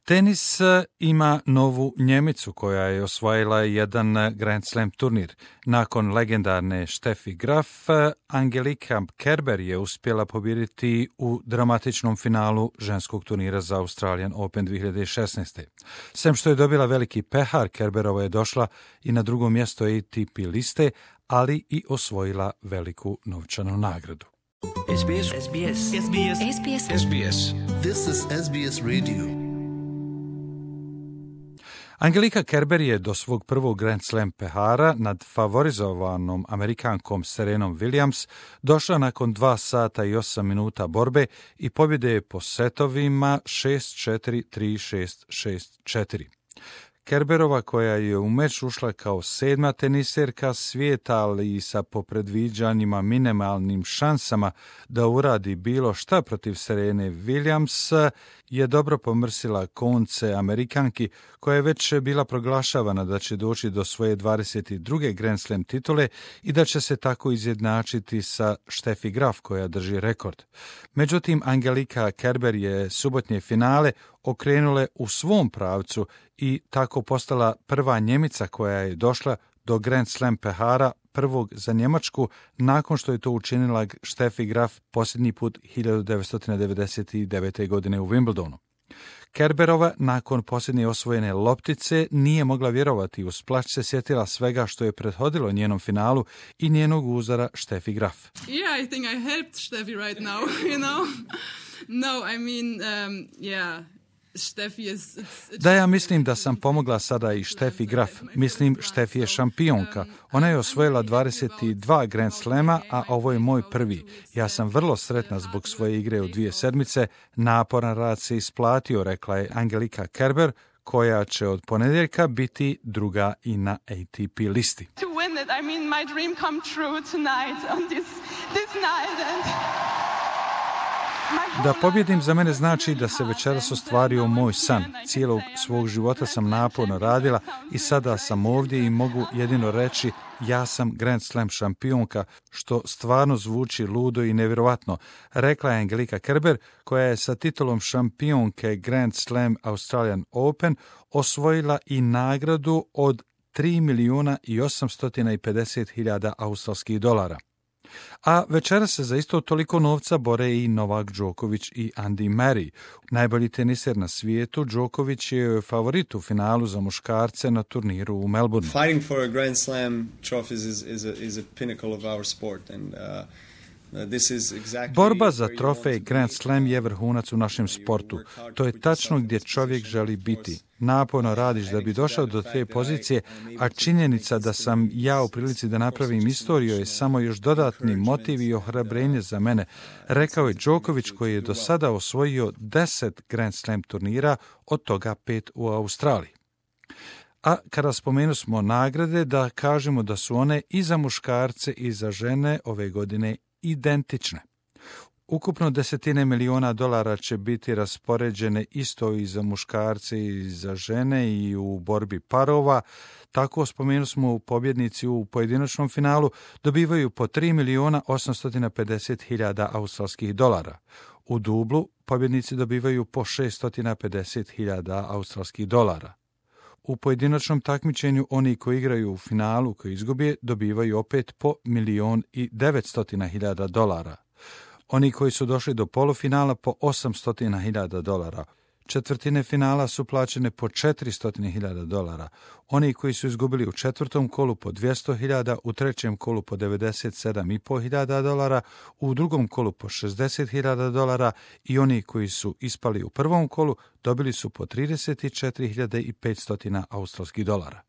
Tenis ima novu Njemicu koja je osvojila jedan Grand Slam turnir. Nakon legendarne Steffi Graf, Angelika Kerber je uspjela pobijediti u dramatičnom finalu ženskog turnira za Australian Open 2016. Sem što je dobila veliki pehar, Kerberova je došla i na drugo mjesto ATP liste, ali i osvojila veliku novčanu nagradu. SBS. SBS. SBS. SBS. SBS. This is SBS Radio. Angelika Kerber je do svog prvog Grand Slam pehara nad favorizovanom Amerikankom Serenom Williams došla nakon 2 sata i 8 minuta borbe i pobjede je po setovima 6-4, 3-6, 6-4. Kerberova, koja je u meč ušla kao 7. teniserka svijeta, ali i sa po predviđanjima minimalnim šansama da uradi bilo šta protiv Serene Williams, je dobro pomrsila konce Amerikanki, koja je već bila proglašavana da će doći do svoje 22. Grand Slam titule i da će se tako izjednačiti sa Steffi Graf, koja drži rekord. Međutim, Angelika Kerber je subotnje finale okrenule u svom pravcu i tako postala prva Njemica koja je došla do Grand Slam pehara prvog za Njemačku, nakon što je to učinila Steffi Graf posljednji put 1999. godine u Wimbledonu. Kerberova nakon posljednje osvojene loptice nije mogla vjerovati, uz plać se sjetila svega što je prethodilo njenom finalu i njenog uzora Steffi Graf. Yeah, I think I helped Steffi right now, you know. No, I mean, yeah. Da, ja mislim da sam pomogla sada i Steffi Graf. Mislim, Steffi je šampionka. Ona je osvojila 22 Grand Slema, a ovo je moj prvi. Ja sam vrlo sretna zbog svoje igre u 2 sedmice. Naporan rad se isplatio, rekla je Angelika Kerber, koja će od ponedjeljka biti druga i na ATP listi. Da pobjedim za mene znači da se večeras ostvario moj san. Cijelog svog života sam naporno radila i sada sam ovdje i mogu jedino reći ja sam Grand Slam šampionka, što stvarno zvuči ludo i nevjerovatno, rekla je Angelika Kerber, koja je sa titulom šampionke Grand Slam Australian Open osvojila i nagradu od 3.850.000 australskih dolara. A večera se za isto toliko novca bore i Novak Djokovic i Andy Murray. Najbolji teniser na svijetu, Djokovic je favorit u finalu za muškarce na turniru u Melbourneu. Fighting for a Grand Slam trophies is a pinnacle of our sport and Borba za trofej Grand Slam je vrhunac u našem sportu. To je tačno gdje čovjek želi biti. Naporno radiš da bi došao do te pozicije, a činjenica da sam ja u prilici da napravim istoriju je samo još dodatni motiv i ohrabrenje za mene, rekao je Djokovic, koji je do sada osvojio 10 Grand Slam turnira, od toga 5 u Australiji. A kada spomenu smo nagrade, da kažemo da su one i za muškarce i za žene ove godine identične. Ukupno $10 miliona će biti raspoređene isto i za muškarce i za žene i u borbi parova. Tako spomenu smo pobjednici u pojedinačnom finalu dobivaju po $3.850.000 australskih dolara. U dublu pobjednici dobivaju po $650.000 australskih dolara. U pojedinačnom takmičenju oni koji igraju u finalu, koji izgubije, dobivaju opet po $1.900.000 dolara. Oni koji su došli do polufinala po $800.000. Četvrtine finala su plaćene po $400.000 dolara. Oni koji su izgubili u četvrtom kolu po $200.000, u trećem kolu po $97.500 dolara, u drugom kolu po $60.000 dolara i oni koji su ispali u prvom kolu dobili su po $34.500 australskih dolara.